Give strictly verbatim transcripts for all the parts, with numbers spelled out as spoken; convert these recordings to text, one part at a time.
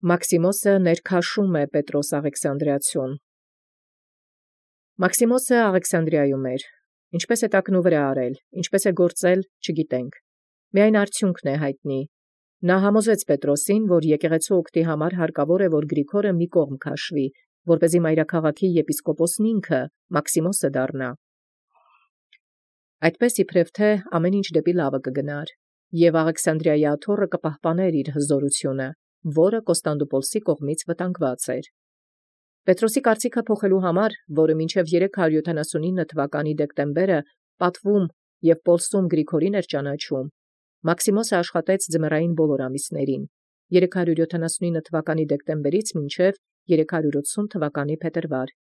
Մաքսիմոսը ներքաշում է Պետրոս Աղեքսանդրիացուն։ Մաքսիմոսը Աղեքսանդրիայում էր, ինչպես է տակնու վրա արել, ինչպես է գործել, չգիտենք։ Միայն արդյունքն է հայտնի։ Նա համոզեց Պետրոսին, որ եկեղեցու օգտի համար հարկավոր է, որ Գրիգորը մի կողմ քաշվի, որպեսզի մայրաքաղաքի եպիսկոպոսն ինքը Մաքսիմոսը դառնա։ Այդպես իբրև թե ամեն ինչ դեպի լավը կգնար, եւ Աղեքսանդրիայի աթոռը կպահպաներ իր հզորությունը, որը Կոստանդնուպոլսի կողմից վտանգված էր։ Պետրոսի կարծիքը փոխելու համար, որը մինչև երեք հարյուր յոթանասունինը թվականի դեկտեմբերը պատվում եւ Պոլսում Գրիգորին էր ճանաչում, Մաքսիմոսը աշխատեց ձմեռային բոլոր ամիսներին, երեք հարյուր յոթանասունինը թվականի դեկտեմբերից մինչև երեք հարյուր ութսուն թվականի փետրվար։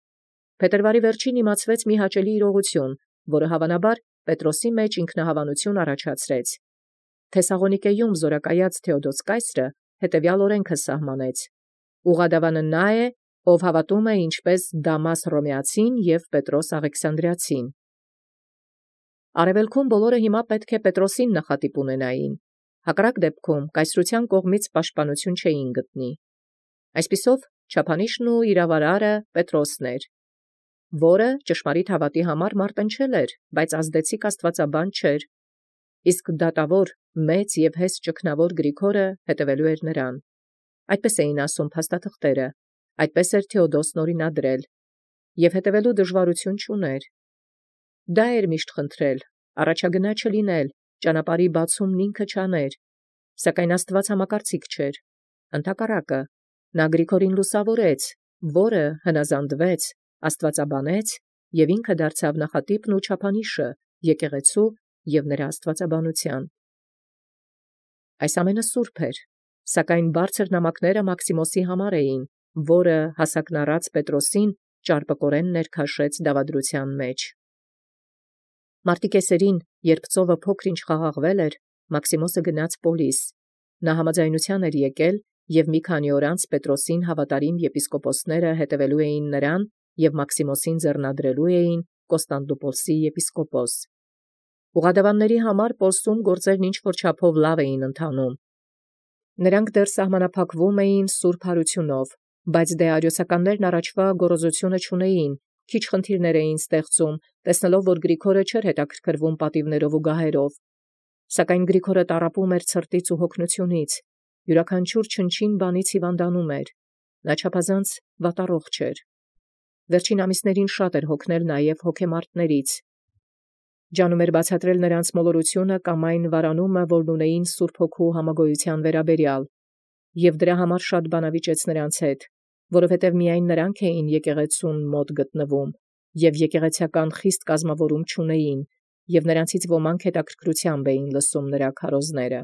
Փետրվարի վերջին իմացվեց մի հաճելի իրողություն, որը հավանաբար Պետրոսի մեջ ինքնահավանություն առաջացրեց։ Թեսաղոնիկեում զորակայած Թեոդոս կայսրը հետևյալ օրենքը սահմանեց. ուղղադավանը նա է, ով հավատում է ինչպես Դամաս Հռոմեացին և Պետրոս Աղեքսանդրիացին։ Արևելքում բոլորը հիմա պետք է Պետրոսին նախատիպ ունենային, հակառակ դեպքում կայսրության կողմից պաշտպանություն չէին գտնի։ Այսպիսով չափանիշն ու իրավարարը Պետրոսն էր, որը ճշմարիտ հավատի համար մարտնչել էր, բայց ազդեցիկ աստվածաբան չէր, իսկ դատավոր մեծ և հեզ ճգնավոր Գրիգորը հետևելու էր նրան։ Այդպես էին ասում փաստաթղթերը, այդպես էր Թեոդոսն օրինադրել, և հետևելու դժվարություն չուներ։ Դա էր միշտ խնդրել, առաջագնա չլինել, ճանապարհի բացումն ինքը չաներ, սակայն Աստված համակարծիք չէր։ Ընդհակառակը, նա Գրիգորին լուսավորեց, որը հնազանդվեց, աստվածաբանեց և ինքը դարձավ նախատիպն ու չափանիշը եկեղեցու և նրա աստվածաբանության։ Այս ամենը սուրբ էր, սակայն բարձր նամակները Մաքսիմոսի համար էին, որը հասակնառած Պետրոսին ճարպկորեն ներքաշեց դավադրության մեջ։ Մարտի կեսերին, երբ ծովը փոքր-ինչ խաղաղվել էր, Մաքսիմոսը գնաց Պոլիս։ Նա համաձայնության էր եկել, և մի քանի օր անց Պետրոսին հավատարիմ եպիսկոպոսները հետևելու էին նրան և Մաքսիմոսին ձեռնադրելու էին Կոստանդնուպոլսի եպիսկոպոս։ Ուղղադավանների համար Պոլսում գործերն ինչ-որ չափով լավ էին ընթանում։ Նրանք դեռ սահմանափակվում էին սուրբ հարությունով, բայց դե արիոսականներն առաջվա գոռոզությունը չունեին, քիչ խնդիրներ էին ստեղծում, տեսնելով, որ Գրիգորը չէր հետաքրքրվում պատիվներով ու գահերով։ Սակայն Գրիգորը տառապում էր ցրտից ու հոգնությունից, յուրաքանչյուր չնչին բանից հիվանդանում էր, նա չափազանց վատառողջ էր։ Վերջին ամիսներին շատ էր հոգնել նաև հոգեմարտներից։ Ջանում էր բացատրել նրանց մոլորությունը կամ այն վարանումը, որն ունեին Սուրբ Հոգու համագոյության վերաբերյալ, և դրա համար շատ բանավիճեց նրանց հետ, որովհետև միայն նրանք էին եկեղեցուն մոտ գտնվում, և եկեղեցական խիստ կազմավորում չունեին, և նրանցից ոմանք հետաքրքրությամբ էին լսում նրա քարոզները։